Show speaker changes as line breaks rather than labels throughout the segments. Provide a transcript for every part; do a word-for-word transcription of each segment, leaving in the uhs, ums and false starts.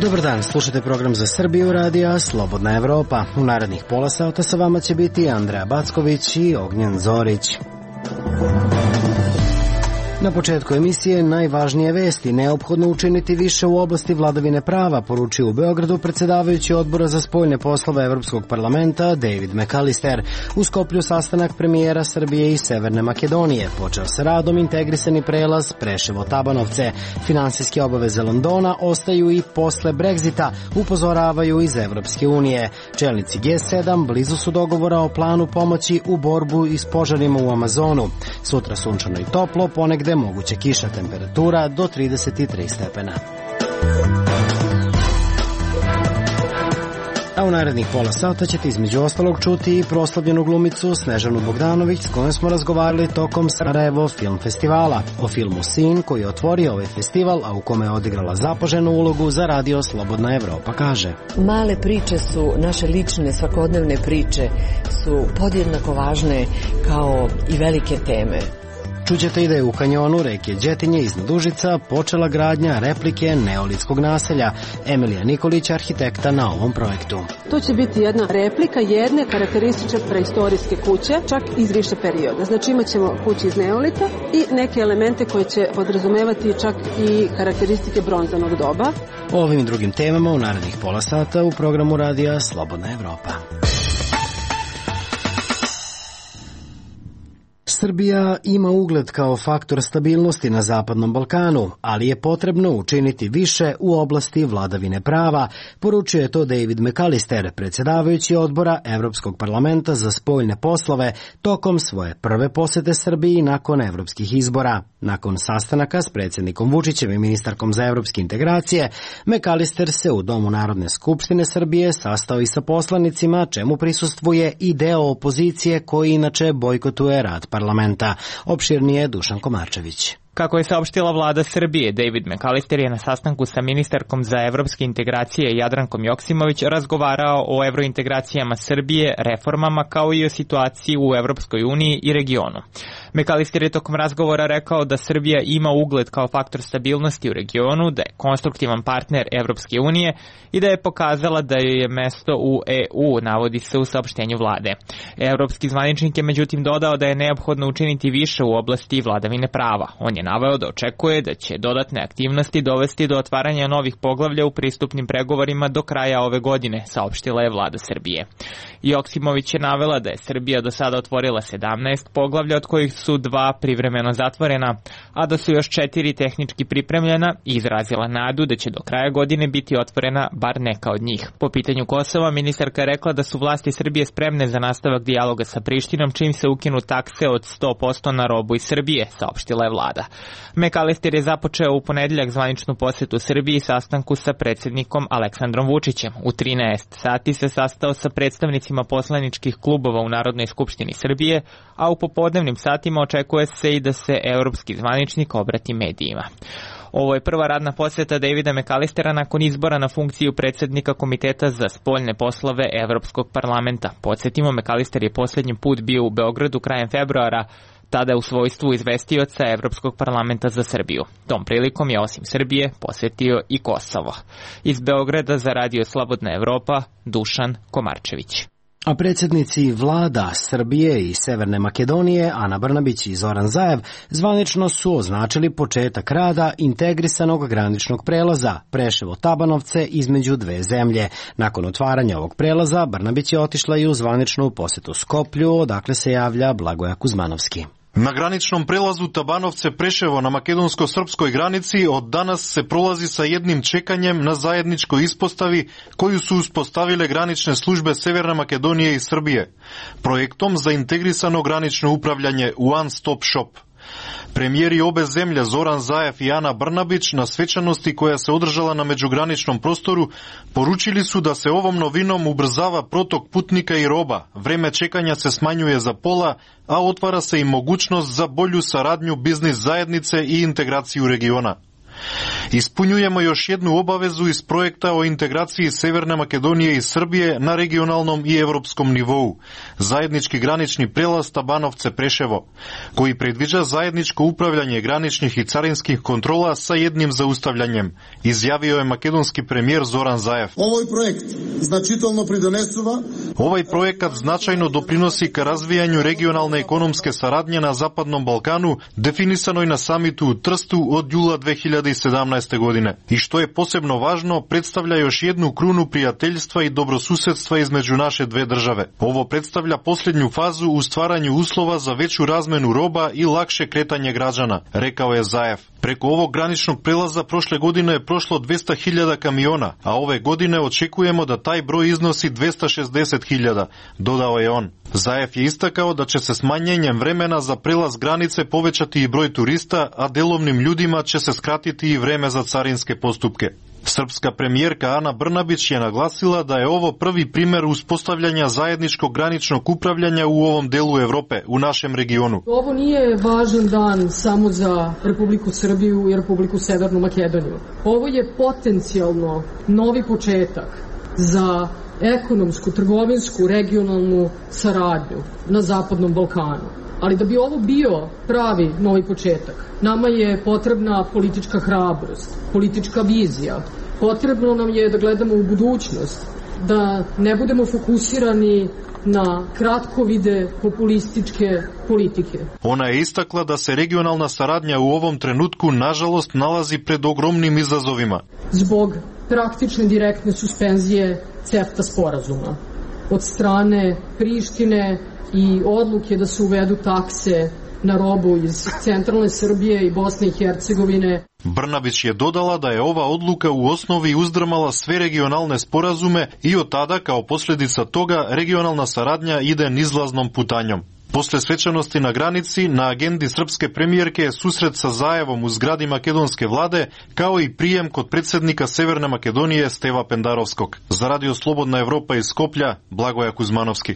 Dobar dan, slušate program za Srbiju radija Slobodna Evropa. U narednih pola sata sa vama će biti Andreja Backović i Ognjen Zorić. Na početku emisije najvažnije vesti. Neophodno učiniti više u oblasti vladavine prava, poručio u Beogradu predsjedavajući odbora za spoljne poslove Evropskog parlamenta David McAllister. U Skoplju sastanak premijera Srbije i Severne Makedonije. Počeo sa radom integrisani prelaz Preševo-Tabanovce. Finansijske obaveze Londona ostaju i posle Brexita, upozoravaju iz Evropske unije. Čelnici G sedam blizu su dogovora o planu pomoći u borbu i s požarima u Amazonu. Sutra sunčano i toplo, ponegde moguće kiša, temperatura do trideset tri stepena. A u narednih pola sata ćete između ostalog čuti i proslavljenu glumicu Snežanu Bogdanović s kojom smo razgovarali tokom Sarajevo film festivala. O filmu Sin koji je otvorio ovaj festival, a u kome je odigrala zapaženu ulogu za radio Slobodna Evropa, kaže.
Male priče su, naše lične svakodnevne priče su podjednako važne kao i velike teme.
Čućete i da je u kanjonu reke Đetinje iznad Užica počela gradnja replike neolitskog naselja. Emilija Nikolić, arhitekta na ovom projektu.
To će biti jedna replika jedne karakteristične preistorijske kuće, čak iz više perioda. Znači imat ćemo kuće iz neolita i neke elemente koje će podrazumevati čak i karakteristike bronzanog doba.
O ovim i drugim temama u narednih pola sata u programu radija Slobodna Evropa. Srbija ima ugled kao faktor stabilnosti na Zapadnom Balkanu, ali je potrebno učiniti više u oblasti vladavine prava, poručio je to David McAllister, predsjedavajući odbora Evropskog parlamenta za spoljne poslove, tokom svoje prve posete Srbiji nakon evropskih izbora. Nakon sastanaka s predsjednikom Vučićem i ministarkom za evropske integracije, McAllister se u Domu Narodne skupštine Srbije sastao i sa poslanicima, čemu prisustvuje i deo opozicije koji inače bojkotuje rad parlamenta. Opširnije Dušan Komarčević.
Kako je saopštila vlada Srbije, David McAllister je na sastanku sa ministarkom za evropske integracije Jadrankom Joksimović razgovarao o evrointegracijama Srbije, reformama kao i o situaciji u Evropskoj uniji i regionu. McAllister je tokom razgovora rekao da Srbija ima ugled kao faktor stabilnosti u regionu, da je konstruktivan partner Evropske unije i da je pokazala da joj je mesto u E U, navodi se u saopštenju vlade. Evropski zvaničnik je međutim dodao da je neophodno učiniti više u oblasti vladavine prava. On je naveo da očekuje da će dodatne aktivnosti dovesti do otvaranja novih poglavlja u pristupnim pregovorima do kraja ove godine, saopštila je vlada Srbije. Joksimović je navela da je Srbija do sada otvorila sedamnaest poglavlja, od kojih su dva privremeno zatvorena, a da su još četiri tehnički pripremljena i izrazila nadu da će do kraja godine biti otvorena bar neka od njih. Po pitanju Kosova, ministarka je rekla da su vlasti Srbije spremne za nastavak dijaloga sa Prištinom, čim se ukinu takse od sto posto na robu iz Srbije, saopštila je vlada. McAllister je započeo u ponedeljak zvaničnu posetu Srbiji sastanku sa predsjednikom Aleksandrom Vučićem. U trinaest sati se sastao sa predstavnicima poslaničkih klubova u Narodnoj skupštini Srbije, a u popodnevnim satima očekuje se i da se evropski zvaničnik obrati medijima. Ovo je prva radna posjeta Davida McAllistera nakon izbora na funkciju predsjednika Komiteta za spoljne poslove Evropskog parlamenta. Podsjetimo, McAllister je posljednji put bio u Beogradu krajem februara, tada u svojstvu izvestioca Evropskog parlamenta za Srbiju. Tom prilikom je osim Srbije posjetio i Kosovo. Iz Beograda za radio Slobodna Evropa, Dušan Komarčević.
A predsjednici vlada Srbije i Severne Makedonije, Ana Brnabić i Zoran Zaev, zvanično su označili početak rada integrisanog graničnog prelaza Preševo-Tabanovce između dve zemlje. Nakon otvaranja ovog prelaza, Brnabić je otišla i u zvaničnu posetu Skoplju, odakle se javlja Blagoja Kuzmanovski.
Na graničnom prelazu Tabanovce-Preševo na makedonsko-srpskoj granici od danas se prolazi sa jednim čekanjem na zajedničkoj ispostavi koju su uspostavile granične službe Severne Makedonije i Srbije, projektom za integrisano granično upravljanje One Stop Shop. Premijeri obe zemlje Zoran Zaev i Ana Brnabić na svečanosti koja se održala na međugraničnom prostoru poručili su da se ovom novinom ubrzava protok putnika i roba, vreme čekanja se smanjuje za pola, a otvara se i mogućnost za bolju saradnju biznis zajednice i integraciju regiona. Ispunjujemo još jednu obavezu iz projekta o integraciji Severne Makedonije i Srbije na regionalnom i evropskom nivou, zajednički granični prelaz Tabanovce-Preševo, koji predviđa zajedničko upravljanje graničnih i carinskih kontrola sa jednim zaustavljanjem, izjavio je makedonski premijer Zoran Zaev.
Ovaj projekt značajno pridonesува
Ovaj projekat značajno doprinosi ka razvijanju regionalne ekonomske saradnje na Zapadnom Balkanu, definisanoj na samitu u Trstu od jula dve hiljade sedamnaeste. godine. I što je posebno važno, predstavlja još jednu krunu prijateljstva i dobrosusedstva između naše dve države. Ovo predstavlja posljednju fazu u stvaranju uslova za veću razmenu roba i lakše kretanje građana, rekao je Zaev. Preko ovog graničnog prelaza prošle godine je prošlo dvesta hiljada kamiona, a ove godine očekujemo da taj broj iznosi dvesta šezdeset hiljada, dodao je on. Zaev je istakao da će se smanjenjem vremena za prelaz granice povećati i broj turista, a delovnim ljudima će se skratiti i vreme za carinske postupke. Srpska premijerka Ana Brnabić je naglasila da je ovo prvi primer uspostavljanja zajedničkog graničnog upravljanja u ovom delu Evrope, u našem regionu.
Ovo nije važan dan samo za Republiku Srbiju i Republiku Severnu Makedoniju. Ovo je potencijalno novi početak za ekonomsku, trgovinsku, regionalnu saradnju na Zapadnom Balkanu. Ali da bi ovo bio pravi novi početak, nama je potrebna politička hrabrost, politička vizija. Potrebno nam je da gledamo u budućnost, da ne budemo fokusirani na kratkovide populističke politike.
Ona je istakla da se regionalna saradnja u ovom trenutku nažalost nalazi pred ogromnim izazovima.
Zbog praktične direktne suspenzije CEFTA sporazuma od strane Prištine i odluke da se uvedu takse na robu iz centralne Srbije i Bosne i Hercegovine.
Brnabić je dodala da je ova odluka u osnovi uzdrmala sve regionalne sporazume i od tada, kao posljedica toga, regionalna saradnja ide nizlaznom putanjom. Posle svečanosti na granici, na agendi srpske premijerke je susret sa Zaevom u zgradi makedonske vlade, kao i prijem kod predsjednika Severne Makedonije Steva Pendarovskog. Za Radio Slobodna Evropa iz Skoplja, Blagoja Kuzmanovski.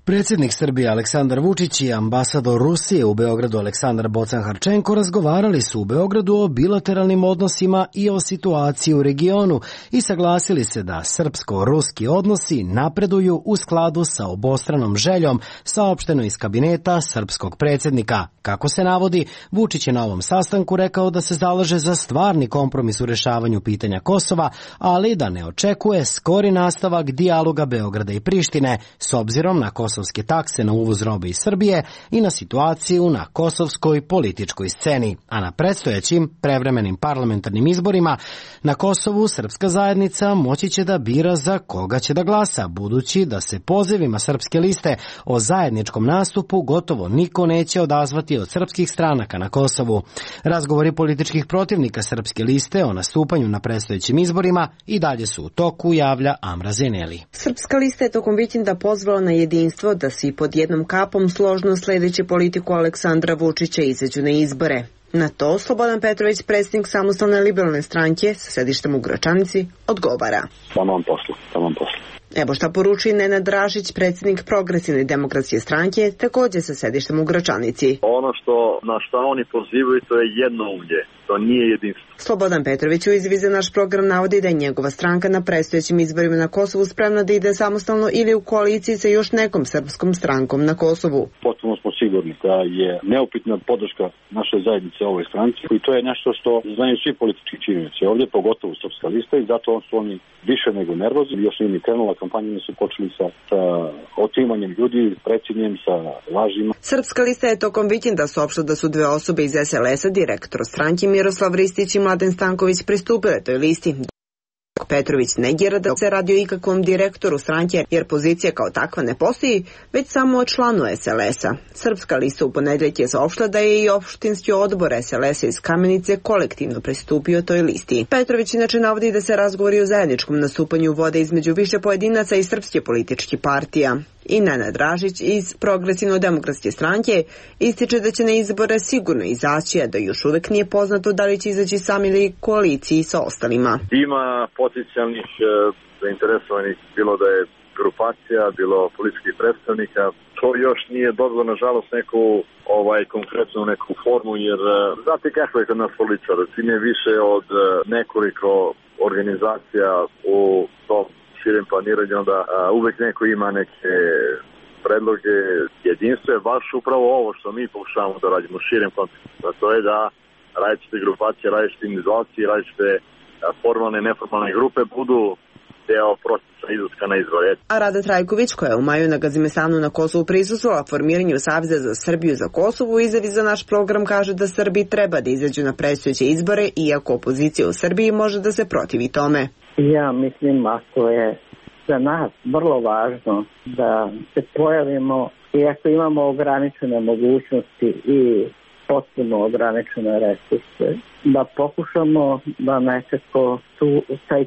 Predsjednik Srbije Aleksandar Vučić i ambasador Rusije u Beogradu Aleksandar Bocan-Harčenko razgovarali su u Beogradu o bilateralnim odnosima i o situaciji u regionu i saglasili se da srpsko-ruski odnosi napreduju u skladu sa obostranom željom, saopšteno iz kabineta srpskog predsjednika. Kako se navodi, Vučić je na ovom sastanku rekao da se zalaže za stvarni kompromis u rešavanju pitanja Kosova, ali da ne očekuje skori nastavak dijaloga Beograda i Prištine s obzirom na kosovske takse na uvoz robe iz Srbije i na situaciju na kosovskoj političkoj sceni. A na predstojećim prevremenim parlamentarnim izborima na Kosovu srpska zajednica moći će da bira za koga će da glasa, budući da se pozivima srpske liste o zajedničkom nastupu gotovo niko neće odazvati od srpskih stranaka na Kosovu. Razgovori političkih protivnika srpske liste o nastupanju na predstojećim izborima i dalje su u toku, javlja Amra Zeneli.
Srpska lista je tokom vikenda pozvala na jedinstvo da svi pod jednom kapom složno sledeći politiku Aleksandra Vučića izađu na izbore. Na to Slobodan Petrović, predsjednik Samostalne liberalne stranke sa sedištem u Gračanici, odgovara.
Tamam poslu, tamam poslu.
Evo šta poručuje Nenad Dražić, predsjednik Progresivne demokratske stranke, također sa sedištem u Gračanici.
Ono što na šta oni pozivaju, to je jednoumlje, to nije jedinstvo.
Slobodan Petrović u izjavi za naš program navodi da je njegova stranka na predstojećim izborima na Kosovu spremna da ide samostalno ili u koaliciji sa još nekom srpskom strankom na Kosovu.
Potpuno smo sigurni da je neupitna podrška naše zajednice ovoj stranci i to je nešto što znaju svi politički činioci ovdje, pogotovo srpska lista, i zato su oni više nego nervozni. Još nije ni krenula kampanja, su počeli sa, sa otimanjem ljudi, precinjem, sa lažima.
Srpska lista je tokom vikenda saopštila da su dve osobe iz es el es-a, direktor stranke Miroslav Ristić i Mladen Stanković, pristupile toj listi. Petrović negira da se radi o ikakvom direktoru stranke, jer pozicija kao takva ne postoji, već samo o članu es el es-a. Srpska lista u ponedeljak je saopštila da je i opštinski odbor es el es-a iz Kamenice kolektivno pristupio toj listi. Petrović inače navodi da se razgovori o zajedničkom nastupanju vode između više pojedinaca i srpske političke partija. I Nenad Dražić iz Progresivno-demokratske stranke ističe da će na izbore sigurno izaći, a da još uvek nije poznato da li će izaći sam ili koaliciji sa ostalima.
Ima potencijalnih e, zainteresovanih, bilo da je grupacija, bilo političkih predstavnika,
To još nije dobilo, nažalost, neku ovaj, konkretnu neku formu, jer znate kako je kod nas političara, čim je više od nekoliko organizacija u tom širem planiranju, onda a, uvek neko ima neke predloge. Jedinstvo je baš upravo ovo što mi pokušavamo da radimo u širem kontekstu, a to je da različite grupacije, različite individualci, različite formalne i neformalne grupe budu deo procesa izlaska na izbore.
A Rada Trajković, koja je u maju na Gazimestanu na Kosovu prisustvovala formiranju Saveza za Srbiju za Kosovo, u izjavi za naš program kaže da Srbi treba da izađu na predstojeće izbore, iako opozicija u Srbiji može da se protivi tome.
Ja mislim, a to je za nas vrlo važno da se pojavimo, iako imamo ograničene mogućnosti i potpuno ograničene resurse, da pokušamo da nekako tu, taj,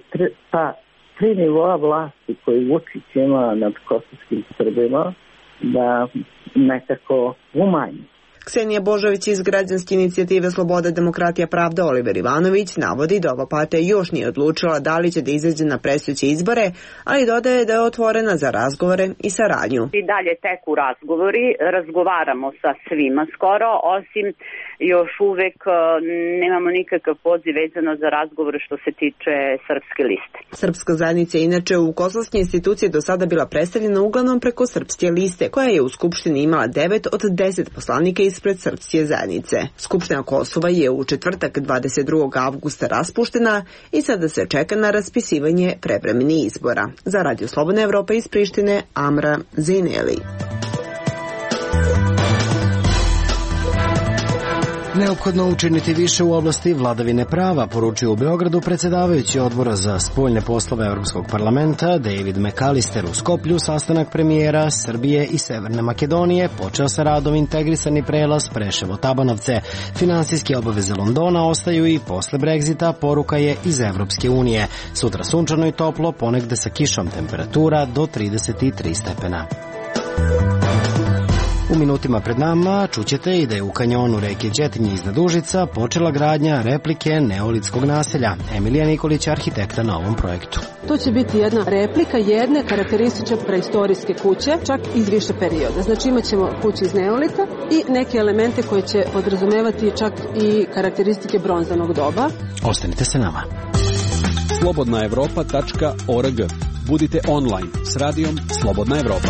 ta tri nivoa vlasti koji Vučić ima nad kosovskim Srbima da nekako umanji.
Ksenija Božović iz građanske inicijative Sloboda, demokratija, pravda Oliver Ivanović navodi da ova partija još nije odlučila da li će da izađe na predstojeće izbore, ali dodaje da je otvorena za razgovore i saradnju.
I dalje teku razgovori, razgovaramo sa svima skoro, osim još uvek nemamo nikakav poziv vezano za razgovore što se tiče srpske liste.
Srpska zajednica je inače u kosovske institucije do sada bila predstavljena uglavnom preko srpske liste, koja je u Skupštini imala devet od deset poslanika ispred srpske zajednice. Skupština Kosova je u četvrtak dvadeset drugog avgusta raspuštena i sada se čeka na raspisivanje prevremenih izbora. Za Radio Slobodna Evropa iz Prištine, Amra Zineli.
Neophodno učiniti više u oblasti vladavine prava, poručio u Beogradu predsjedavajući odbora za spoljne poslove Evropskog parlamenta David McAllister. U Skoplju sastanak premijera Srbije i Severne Makedonije počeo sa radom integrisani prelaz Preševo-Tabanovce. Finansijske obaveze Londona ostaju i posle Brexita, poruka je iz Evropske unije. Sutra sunčano i toplo, ponegde sa kišom, temperatura do trideset tri stepena. U minutima pred nama čućete i da je u kanjonu reke Đetinje iznad Užica počela gradnja replike neolitskog naselja. Emilija Nikolić, arhitekta na ovom projektu.
To će biti jedna replika jedne karakteristične preistorijske kuće, čak iz više perioda. Znači imat ćemo kuću iz neolita i neke elemente koje će podrazumevati čak i karakteristike bronzanog doba.
Ostanite sa nama.
slobodna evropa tačka org. Budite online s radijom Slobodna Evropa.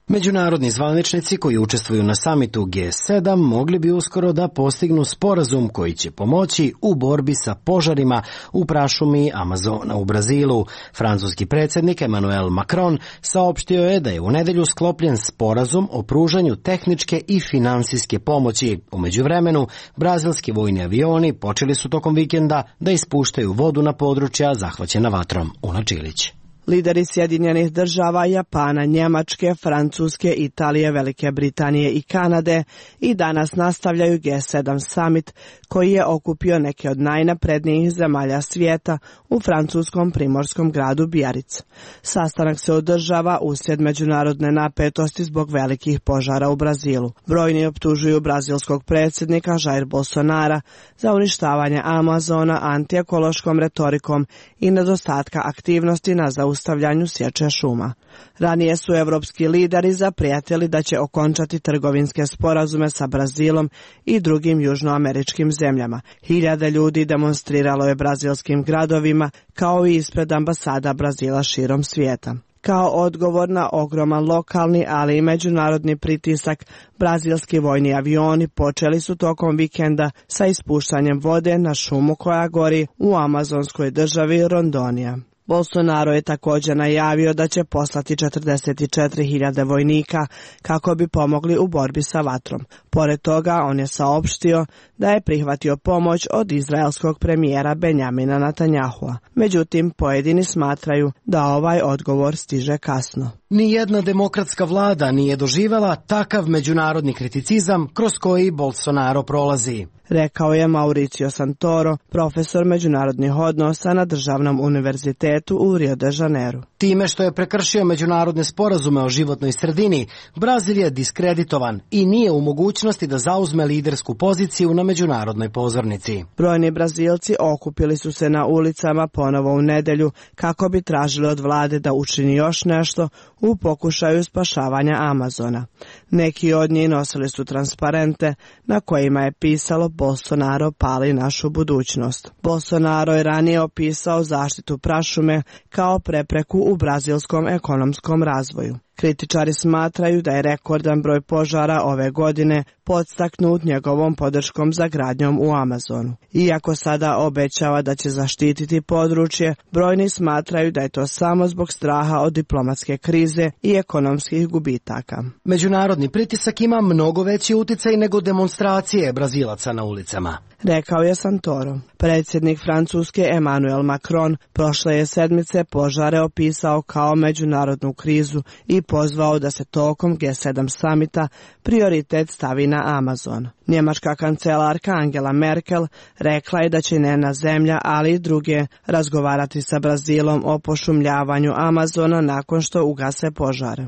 Međunarodni zvaničnici koji učestvuju na samitu G sedam mogli bi uskoro da postignu sporazum koji će pomoći u borbi sa požarima u prašumi Amazona u Brazilu. Francuski predsjednik Emmanuel Macron saopštio je da je u nedelju sklopljen sporazum o pružanju tehničke i finansijske pomoći. U međuvremenu, brazilski vojni avioni počeli su tokom vikenda da ispuštaju vodu na područja zahvaćena vatrom. Una Čilić.
Lideri Sjedinjenih država, Japana, Njemačke, Francuske, Italije, Velike Britanije i Kanade i danas nastavljaju G sedam summit koji je okupio neke od najnaprednijih zemalja svijeta u francuskom primorskom gradu Biarritz. Sastanak se održava uslijed međunarodne napetosti zbog velikih požara u Brazilu. Brojni optužuju brazilskog predsjednika Jair Bolsonara za uništavanje Amazona antiekološkom retorikom i nedostatka aktivnosti na zaustavljanju stavljanju sječe šuma. Ranije su evropski lideri zaprijatili da će okončati trgovinske sporazume sa Brazilom i drugim južnoameričkim zemljama. Hiljade ljudi demonstriralo je brazilskim gradovima kao i ispred ambasada Brazila širom svijeta. Kao odgovor na ogroman lokalni, ali i međunarodni pritisak, brazilski vojni avioni počeli su tokom vikenda sa ispuštanjem vode na šumu koja gori u amazonskoj državi Rondonija. Bolsonaro je također najavio da će poslati četrdeset četiri hiljade vojnika kako bi pomogli u borbi sa vatrom. Pored toga, on je saopštio da je prihvatio pomoć od izraelskog premijera Benjamina Netanjahua. Međutim, pojedini smatraju da ovaj odgovor stiže kasno.
Nijedna demokratska vlada nije doživjela takav međunarodni kriticizam kroz koji Bolsonaro prolazi,
rekao je Mauricio Santoro, profesor međunarodnih odnosa na Državnom univerzitetu u Rio de Janeiro.
Time što je prekršio međunarodne sporazume o životnoj sredini, Brazil je diskreditovan i nije u mogućnosti da zauzme lidersku poziciju na međunarodnoj pozornici.
Brojni Brazilci okupili su se na ulicama ponovo u nedelju kako bi tražili od vlade da učini još nešto u pokušaju spašavanja Amazona. Neki od njih nosili su transparente na kojima je pisalo Bolsonaro pali našu budućnost. Bolsonaro je ranije opisao zaštitu prašume kao prepreku u brazilskom ekonomskom razvoju. Kritičari smatraju da je rekordan broj požara ove godine podstaknut njegovom podrškom za gradnjom u Amazonu. Iako sada obećava da će zaštititi područje, brojni smatraju da je to samo zbog straha od diplomatske krize i ekonomskih gubitaka.
Međunarodni pritisak ima mnogo veći uticaj nego demonstracije Brazilaca na ulicama,
rekao je Santoro. Predsjednik Francuske Emmanuel Macron prošle je sedmice požare opisao kao međunarodnu krizu i pozvao da se tokom G sedam samita prioritet stavi na Amazon. Njemačka kancelarka Angela Merkel rekla je da će njena zemlja, ali i druge, razgovarati sa Brazilom o pošumljavanju Amazona nakon što ugase požare.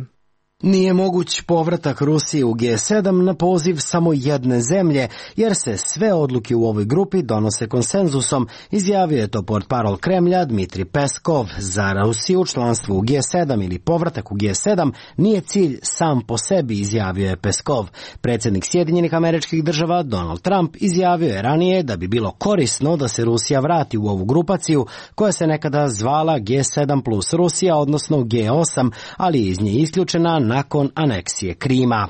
Nije moguć povratak Rusije u G sedam na poziv samo jedne zemlje, jer se sve odluke u ovoj grupi donose konsenzusom, izjavio je to portparol Kremlja Dmitri Peskov. Za Rusiju članstvo u G sedam ili povratak u G sedam nije cilj sam po sebi, izjavio je Peskov. Predsjednik Sjedinjenih Američkih Država Donald Trump izjavio je ranije da bi bilo korisno da se Rusija vrati u ovu grupaciju koja se nekada zvala G sedam plus Rusija, odnosno G osam, ali je iz nje isključena nakon aneksije Krima.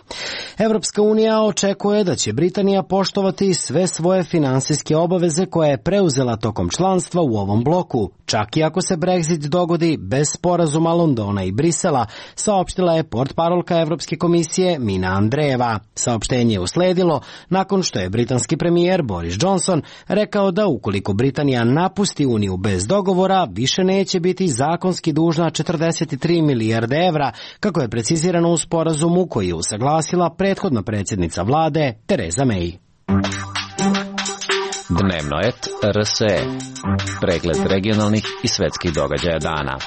Evropska unija očekuje da će Britanija poštovati sve svoje finansijske obaveze koje je preuzela tokom članstva u ovom bloku, čak i ako se Brexit dogodi bez sporazuma Londona i Brisela, saopštila je portparolka Evropske komisije Mina Andrejeva. Saopštenje je usledilo nakon što je britanski premijer Boris Johnson rekao da ukoliko Britanija napusti Uniju bez dogovora, više neće biti zakonski dužna četrdeset tri milijarde evra, kako je precizirano u sporazumu koji je usaglasila prethodna predsjednica vlade Theresa May.
Dnevno et R S E. Pregled regionalnih i svetskih događaja dana.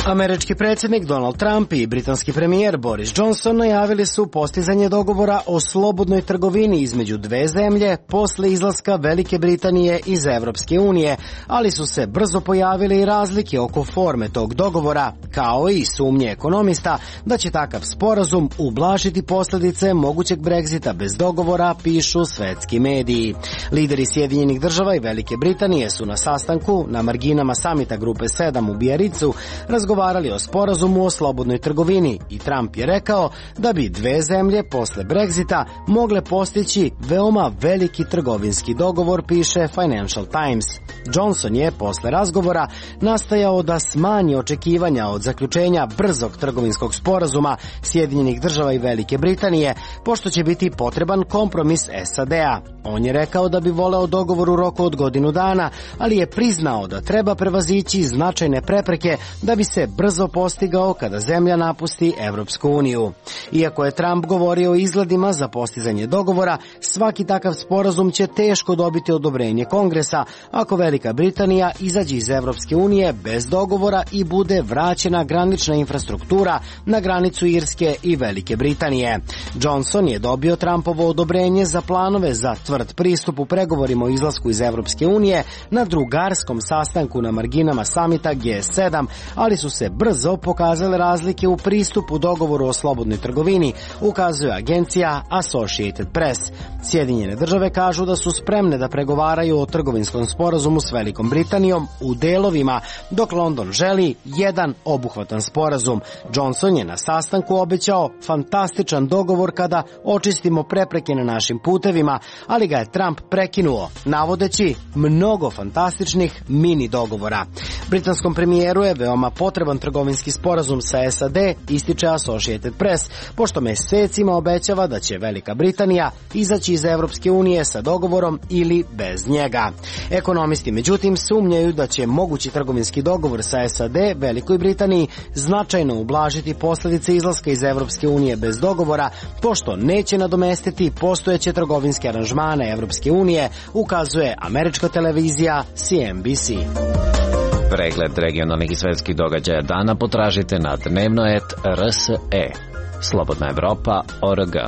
Američki predsjednik Donald Trump i britanski premijer Boris Johnson najavili su postizanje dogovora o slobodnoj trgovini između dve zemlje posle izlaska Velike Britanije iz Evropske unije, ali su se brzo pojavile i razlike oko forme tog dogovora, kao i sumnje ekonomista da će takav sporazum ublažiti posljedice mogućeg Brexita bez dogovora, pišu svetski mediji. Lideri Sjedinjenih Država i Velike Britanije su na sastanku na marginama samita Grupe sedam u Bijaricu razgovarali o sporazumu o slobodnoj trgovini i Trump je rekao da bi dve zemlje posle Brexita mogle postići veoma veliki trgovinski dogovor, piše Financial Times. Johnson je posle razgovora nastojao da smanji očekivanja od zaključenja brzog trgovinskog sporazuma Sjedinjenih Država i Velike Britanije, pošto će biti potreban kompromis S A D-a. On je rekao da bi voleo dogovor u roku od godinu dana, ali je priznao da treba prevazići značajne prepreke da bi se brzo postigao kada zemlja napusti Evropsku uniju. Iako je Trump govorio o izgledima za postizanje dogovora, svaki takav sporazum će teško dobiti odobrenje Kongresa ako Velika Britanija izađe iz Evropske unije bez dogovora i bude vraćena granična infrastruktura na granicu Irske i Velike Britanije. Johnson je dobio Trumpovo odobrenje za planove za tvrd pristup u pregovorima o izlasku iz Evropske unije na drugarskom sastanku na marginama samita G sedam, ali su se brzo pokazale razlike u pristupu dogovoru o slobodnoj trgovini, ukazuje agencija Associated Press. Sjedinjene Države kažu da su spremne da pregovaraju o trgovinskom sporazumu s Velikom Britanijom u delovima, dok London želi jedan obuhvatan sporazum. Johnson je na sastanku obećao fantastičan dogovor kada očistimo prepreke na našim putevima, ali ga je Trump prekinuo, navodeći mnogo fantastičnih mini dogovora. Britanskom premijeru je veoma potreban trgovinski sporazum sa S A D, ističe Associated Press, pošto mesecima obećava da će Velika Britanija izaći iz Evropske unije sa dogovorom ili bez njega. Ekonomisti međutim sumnjaju da će mogući trgovinski dogovor sa S A D Velikoj Britaniji značajno ublažiti posljedice izlaska iz Evropske unije bez dogovora, pošto neće nadomestiti postojeće trgovinske aranžmane Evropske unije, ukazuje američka televizija C N B C.
Pregled regionalnih i svetskih događaja dana potražite na dnevno et R S E. Slobodna Evropa, O R G.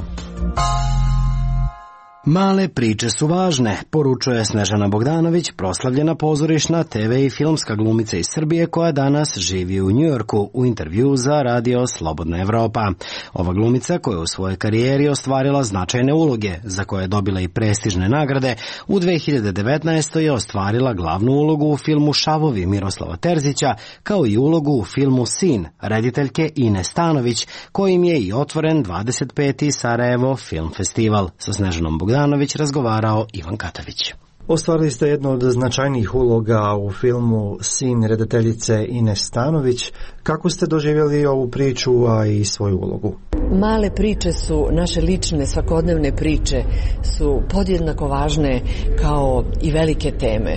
Male priče su važne, poručuje Snežana Bogdanović, proslavljena pozorišna, te ve i filmska glumica iz Srbije koja danas živi u Njujorku, u intervju za radio Slobodna Evropa. Ova glumica, koja je u svojoj karijeri ostvarila značajne uloge, za koje je dobila i prestižne nagrade, u dve hiljade devetnaestoj. je ostvarila glavnu ulogu u filmu Šavovi Miroslava Terzića, kao i ulogu u filmu Sin rediteljke Ine Stanović, kojim je i otvoren dvadeset peti Sarajevo Film Festival. Sa Snežanom Bogdanović razgovarao Ivan Katavić.
Ostvarili ste jednu od značajnijih uloga u filmu Sin redateljice Ine Stanović. Kako ste doživjeli ovu priču, a i svoju ulogu?
Male priče su, naše lične svakodnevne priče su podjednako važne kao i velike teme.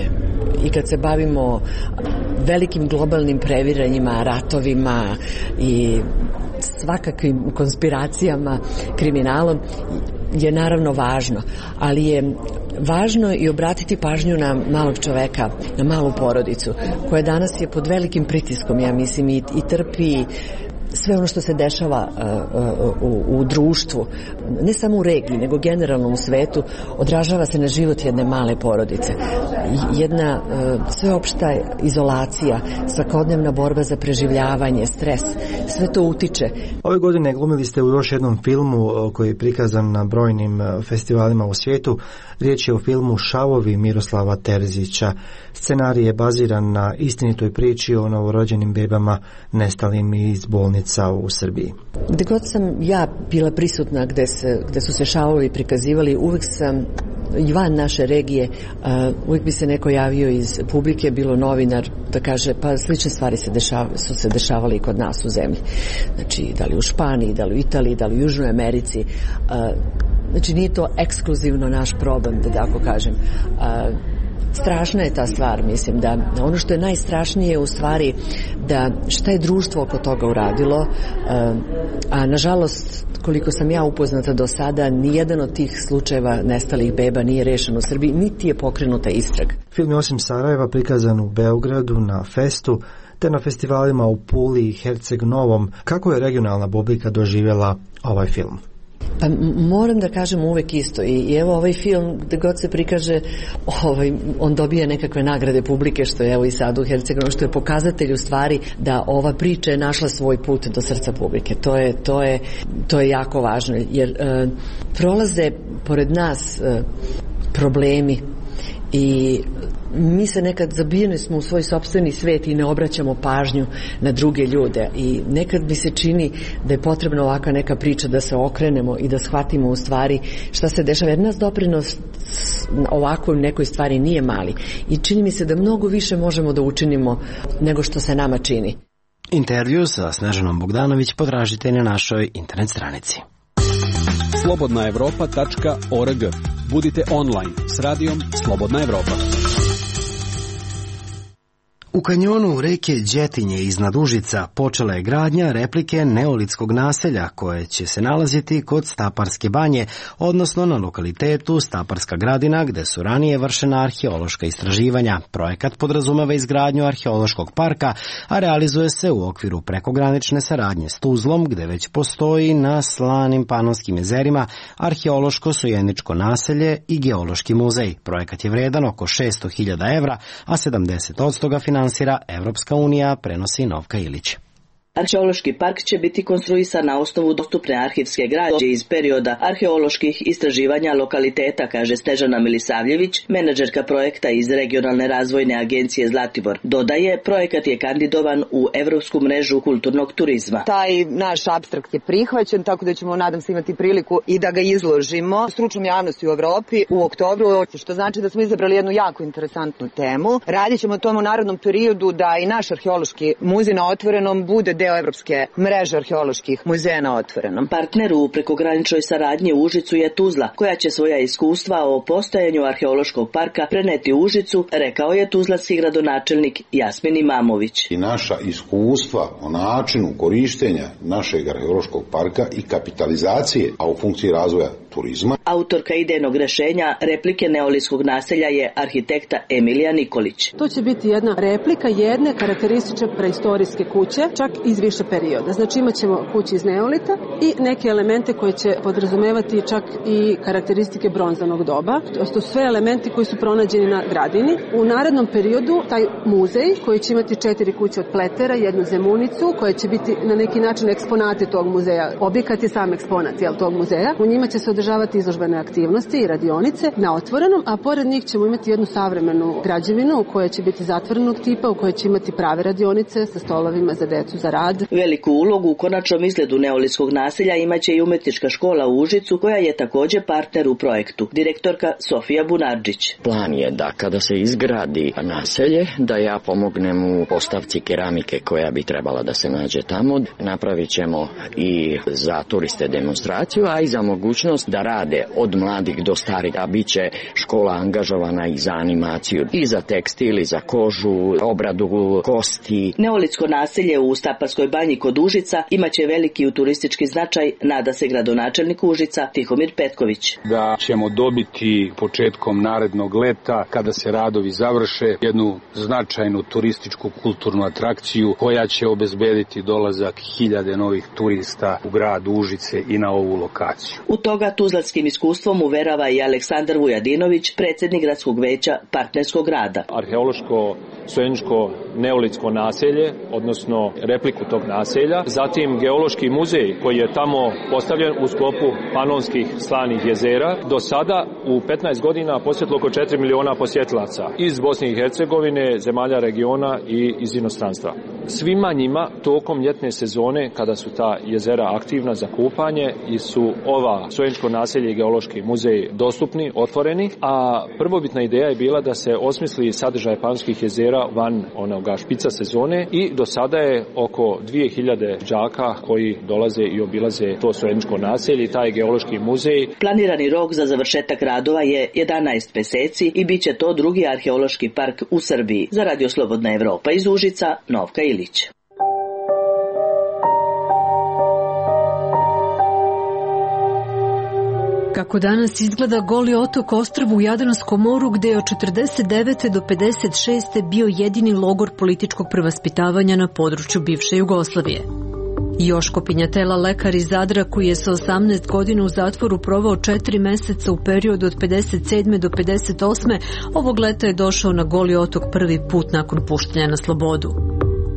I kad se bavimo velikim globalnim previranjima, ratovima i svakakvim konspiracijama, kriminalom, je naravno važno, ali je važno i obratiti pažnju na malog čoveka, na malu porodicu, koja danas je pod velikim pritiskom, ja mislim, i, i trpi sve ono što se dešava uh, u, u društvu, ne samo u regiji, nego generalno u svetu, odražava se na život jedne male porodice. Jedna uh, sveopšta izolacija, svakodnevna borba za preživljavanje, stres, sve to utiče.
Ove godine glumili ste u još jednom filmu koji je prikazan na brojnim festivalima u svijetu. Riječ je o filmu Šavovi Miroslava Terzića. Scenarij je baziran na istinitoj priči o novorođenim bebama nestalim iz bolnica u Srbiji.
Gde god sam ja bila prisutna gde, se, gde su se šavovi prikazivali, uvek sam i van naše regije, uh, uvijek bi se neko javio iz publike, bilo novinar, da kaže pa slične stvari se dešava, su se dešavali i kod nas u zemlji. Znači, da li u Španiji, da li u Italiji, da li u Južnoj Americi. Uh, znači, nije to ekskluzivno naš problem, da tako kažem. Uh, Strašna je ta stvar, mislim, da ono što je najstrašnije u stvari da šta je društvo oko toga uradilo, a nažalost, koliko sam ja upoznata do sada, nijedan od tih slučajeva nestalih beba nije rešen u Srbiji, niti je pokrenuta istraga.
Film je osim Sarajeva prikazan u Beogradu na Festu, te na festivalima u Puli i Herceg Novom. Kako je regionalna publika doživjela ovaj film?
Pa moram da kažem uvek isto i, i evo ovaj film gde god se prikaže ovaj, on dobija nekakve nagrade publike, što je evo i sad u Hercegovini, što je pokazatelj u stvari da ova priča je našla svoj put do srca publike. To je, to je, to je jako važno jer e, prolaze pored nas e, problemi i mi se nekad zabijeni smo u svoj sopstveni svet i ne obraćamo pažnju na druge ljude i nekad mi se čini da je potrebna ovakva neka priča da se okrenemo i da shvatimo u stvari šta se dešava, jer nas doprinos ovakvoj nekoj stvari nije mali i čini mi se da mnogo više možemo da učinimo nego što se nama čini.
Intervju sa Snežanom Bogdanović potražite na našoj internet stranici.
slobodna evropa tačka org. Budite online s radijom Slobodna Evropa.
U kanjonu reke Đetinje iznad Užica počela je gradnja replike neolitskog naselja koje će se nalaziti kod Staparske banje, odnosno na lokalitetu Staparska gradina gde su ranije vršena arheološka istraživanja. Projekat podrazumeva izgradnju arheološkog parka, a realizuje se u okviru prekogranične saradnje s Tuzlom gde već postoji na slanim Panonskim jezerima arheološko-sojeničko naselje i geološki muzej. Projekat je vredan oko šesto hiljada evra, a sedamdeset posto ga finansira Evropska unija, prenosi Novka Ilić.
Arheološki park će biti konstruisan na osnovu dostupne arhivske građe iz perioda arheoloških istraživanja lokaliteta, kaže Snežana Milisavljević, menadžerka projekta iz Regionalne razvojne agencije Zlatibor. Dodaje, projekat je kandidovan u Evropsku mrežu kulturnog turizma.
Taj naš apstrakt je prihvaćen, tako da ćemo, nadam se, imati priliku i da ga izložimo stručnom javnosti u Evropi u oktobru, što znači da smo izabrali jednu jako interesantnu temu. Radit ćemo tomu u narednom periodu da i naš arheološki muzej na otvorenom bude deo Evropske mreže arheoloških muzeja na otvorenom.
Partner u prekograničnoj saradnji u Užicu je Tuzla, koja će svoja iskustva o postojanju arheološkog parka preneti u Užicu, rekao je tuzlanski gradonačelnik Jasmin Imamović.
I naša iskustva o načinu korištenja našeg arheološkog parka i kapitalizacije, a u funkciji razvoja turizma.
Autorka idejnog rešenja replike neolitskog naselja je arhitekta Emilija Nikolić.
To će biti jedna replika jedne karakteristične preistorijske kuće, čak iz više perioda. Znači imat ćemo kuće iz neolita i neke elemente koje će podrazumevati čak i karakteristike bronzanog doba. To su sve elementi koji su pronađeni na gradini. U narednom periodu taj muzej koji će imati četiri kuće od pletera, jednu zemunicu koja će biti na neki način eksponati tog muzeja. Objekat je sam eksponat jel, tog muzeja. U njima će se održavati izložbene aktivnosti i radionice na otvorenom, a pored njih ćemo imati jednu savremenu građevinu koja će biti zatvorenog tipa, u kojoj će imati prave radionice sa stolovima za decu za rad.
Veliku ulogu u konačnom izgledu neolitskog naselja imaće i umetnička škola u Užicu koja je također partner u projektu. Direktorka Sofija Bunarđić.
Plan je da kada se izgradi naselje, da ja pomognem u postavci keramike koja bi trebala da se nađe tamo. Napravit ćemo i za turiste demonstraciju, a i za mogućnost da rade od mladih do starih, a bit će škola angažovana i za animaciju, i za tekstil, i za kožu, obradu kosti.
Neolitsko naselje u Staparskoj banji kod Užica imaće veliki turistički značaj, nada se gradonačelnik Užica Tihomir Petković.
Da ćemo dobiti početkom narednog leta, kada se radovi završe, jednu značajnu turističku kulturnu atrakciju koja će obezbediti dolazak hiljade novih turista u grad Užice i na ovu lokaciju.
U toga tuzlanskim iskustvom uverava i Aleksandar Vujadinović, predsjednik gradskog veća partnerskog rada.
Arheološko sojeničko neolitsko naselje, odnosno repliku tog naselja, zatim geološki muzej koji je tamo postavljen u sklopu panonskih slanih jezera. Do sada u petnaest godina posjetilo oko četiri miliona posjetilaca iz Bosne i Hercegovine, zemalja regiona i iz inostranstva. Svima njima tokom ljetne sezone, kada su ta jezera aktivna za kupanje, i su ova sojeničko naselje i geološki muzej dostupni, otvoreni, a prvobitna ideja je bila da se osmisli sadržaj panonskih jezera van onoga špica sezone i do sada je oko dvije hiljade đaka koji dolaze i obilaze to sojeničko naselje i taj geološki muzej.
Planirani rok za završetak radova je jedanaest meseci i bit će to drugi arheološki park u Srbiji. Za Radio Slobodna Evropa iz Užica, Novka Ilić.
Kako danas izgleda Goli otok, ostrvo u Jadranskom moru, gde je od četrdeset devete do pedeset šeste bio jedini logor političkog prevaspitavanja na području bivše Jugoslavije. Joško Pinjatela, lekar iz Zadra, koji je sa osamnaest godina u zatvoru provao četiri meseca u periodu od pedeset sedme do pedeset osme, ovog leta je došao na Goli otok prvi put nakon puštanja na slobodu.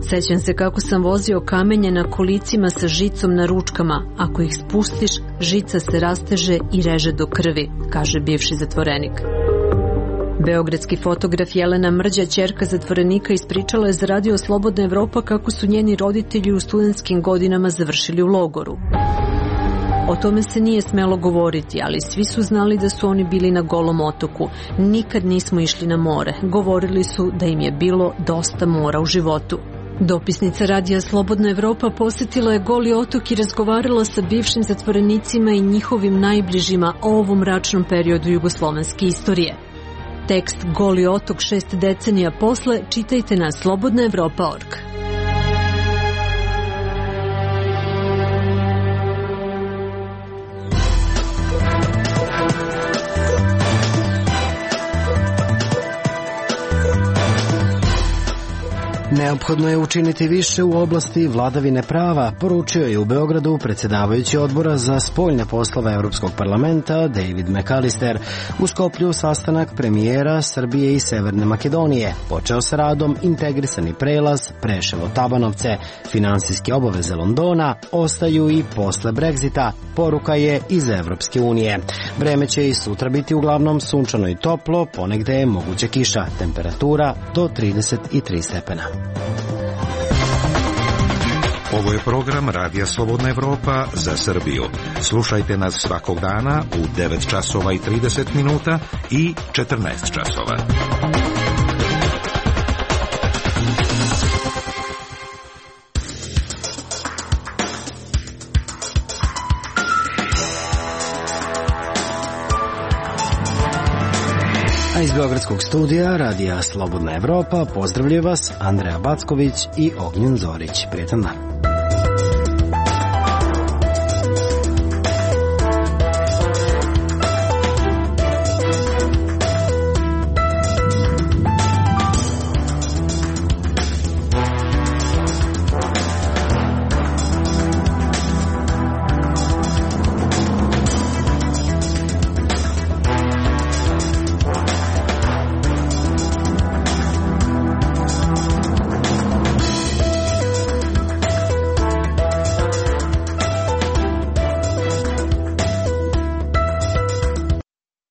Sećam se kako sam vozio kamenje na kolicima sa žicom na ručkama. Ako ih spustiš, žica se rasteže i reže do krvi, kaže bivši zatvorenik. Beogradski fotograf Jelena Mrđa, ćerka zatvorenika, ispričala je za Radio Slobodna Evropa kako su njeni roditelji u studentskim godinama završili u logoru. O tome se nije smelo govoriti, ali svi su znali da su oni bili na Golom otoku. Nikad nismo išli na more. Govorili su da im je bilo dosta mora u životu. Dopisnica Radija Slobodna Evropa posjetila je Goli otok i razgovarala sa bivšim zatvorenicima i njihovim najbližima o ovom mračnom periodu jugoslovenske istorije. Tekst Goli otok šest decenija posle čitajte na slobodna evropa tačka org.
Neophodno je učiniti više u oblasti vladavine prava, poručio je u Beogradu predsjedavajući odbora za spoljne poslove Evropskog parlamenta David McAllister. U Skoplju sastanak premijera Srbije i Severne Makedonije. Počeo sa radom integrisani prelaz Preševo-Tabanovce. Finansijske obaveze Londona ostaju i posle Brexita. Poruka je iz Evropske unije. Vreme će i sutra biti uglavnom sunčano i toplo, ponegde je moguća kiša. Temperatura do trideset tri stepena.
Ovo je program Radija Slobodna Evropa za Srbiju. Slušajte nas svakog dana u devet časova i trideset minuta i četrnaest časova.
A iz Beogradskog studija Radija Slobodna Evropa pozdravljaju vas Andreja Backović i Ognjen Zorić. Prijetan dan.